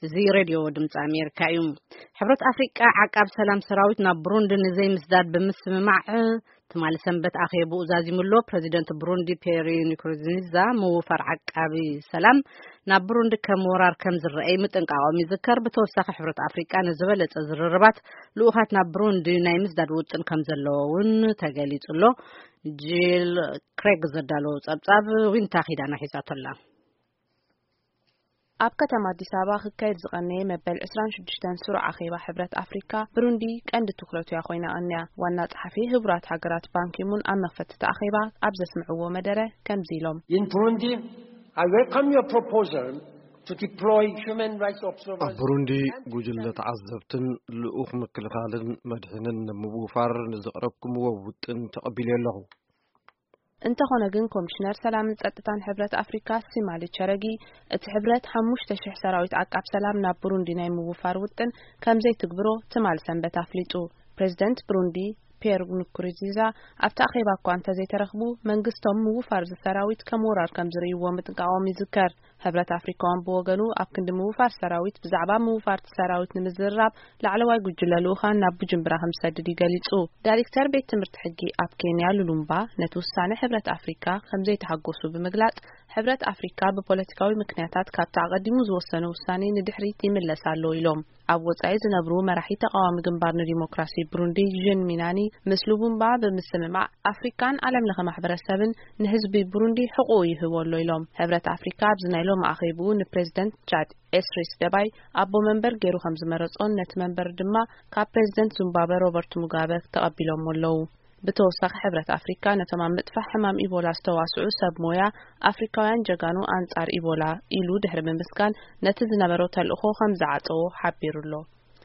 እዚ ሬድዮ ድምፂ ኣሜሪካ እዩ። ሕብረት ኣፍሪቃ ዓቃብ ሰላም ሰራዊት ናብ ብሩንዲ ንዘይምስዳድ ብምስምማዕ ትማሊ ሰንበት ኣኼብኡ ዛዚሙ ኣሎ። ፕረዚደንት ብሩንዲ ፒየር ንኩሩንዚዛ ምውፋር ዓቃቢ ሰላም ናብ ብሩንዲ ከም ወራር ከም ዝረኣይ ምጥንቃቖም ይዝከር። ብተወሳኺ ሕብረት ኣፍሪቃ ንዝበለጸ ዝርርባት ልኡኻት ናብ ብሩንዲ ናይ ምስዳድ ውጥን ከም ዘለዎ እውን ተገሊጹ ኣሎ። ጂል ክሬግ ዘዳለዎ ጸብጻብ ዊንታ ኪዳና ሒዛቶ ኣላ። ኣብ ከተማ ኣዲስ ኣበባ ክካየድ ዝቐነየ መበል ዕስራን ሽዱሽተን ስሩዕ ኣኼባ ሕብረት ኣፍሪካ፣ ብሩንዲ ቀንዲ ትኹረቱ እያ ኮይና ቀንያ። ዋና ጸሓፊ ህቡራት ሃገራት ባንኪሙን ኣብ መኽፈቲ እቲ ኣኼባ ኣብ ዘስምዕዎ መደረ ከምዚ ኢሎም። In Burundi, I welcome your proposal to deploy human rights observers ኣብ ብሩንዲ ጉጅለ ተዓዘብትን ልኡኽ ምክልኻልን መድሕንን ንምውፋር ንዘቕረብኩምዎ ውጥን ተቐቢለ ኣለኹ። እንተኾነ ግን ኮሚሽነር ሰላምን ጸጥታን ሕብረት ኣፍሪካ ሲማሊ ቸረጊ፣ እቲ ሕብረት ሓሙሽተ ሽሕ ሰራዊት ዓቃብ ሰላም ናብ ብሩንዲ ናይ ምውፋር ውጥን ከም ዘይትግብሮ ትማል ሰንበት ኣፍሊጡ። ፕሬዚደንት ብሩንዲ ፒየር ንኩሩንዚዛ ኣብቲ ኣኼባ እኳ እንተዘይተረኽቡ፣ መንግስቶም ምውፋር እዚ ሰራዊት ከም ወራር ከም ዝርእይዎ ምጥንቃቖም ይዝከር። ሕብረት ኣፍሪካ እውን ብወገኑ ኣብ ክንዲ ምውፋር ሰራዊት ብዛዕባ ምውፋርቲ ሰራዊት ንምዝርራብ ላዕለዋይ ጉጅለ ልኡኻን ናብ ቡጅምብራ ከም ዝሰድድ እዩ ገሊጹ። ዳይሬክተር ቤት ትምህርቲ ሕጊ ኣብ ኬንያ ሉሉምባ ነቲ ውሳነ ሕብረት ኣፍሪካ ከም ዘይተሓጎሱ ብምግላጽ፣ ሕብረት ኣፍሪካ ብፖለቲካዊ ምክንያታት ካብቲ ኣቐዲሙ ዝወሰነ ውሳኔ ንድሕሪት ይምለስ ኣሎ ኢሎም። ኣብ ወጻኢ ዝነብሩ መራሒ ተቓዋሚ ግንባር ንዲሞክራሲ ብሩንዲ ዥን ሚናኒ ምስ ሉሙምባ ብምስምማዕ ኣፍሪካን ዓለም ለኸ ማሕበረሰብን ንህዝቢ ብሩንዲ ሕቑኡ ይህቦ ኣሎ ኢሎም። ሕብረት ኣፍሪካ ኣብዚ ናይ ሎም ኣኼብኡ ንፕሬዚደንት ቻድ ኤስሪስ ደባይ ኣቦ መንበር ገይሩ ከም ዝመረጾን ነቲ መንበር ድማ ካብ ፕሬዚደንት ዙምባበ ሮበርት ሙጋበ ተቐቢሎሞ ኣለዉ። ብተወሳኺ ሕብረት ኣፍሪካ ነቶም ኣብ ምጥፋእ ሕማም ኢቦላ ዝተዋስዑ ሰብ ሞያ ኣፍሪካውያን ጀጋኑ ኣንጻር ኢቦላ ኢሉ ድሕሪ ምምስጋን ነቲ ዝነበሮ ተልእኾ ከም ዝዓጸዎ ሓቢሩ ኣሎ።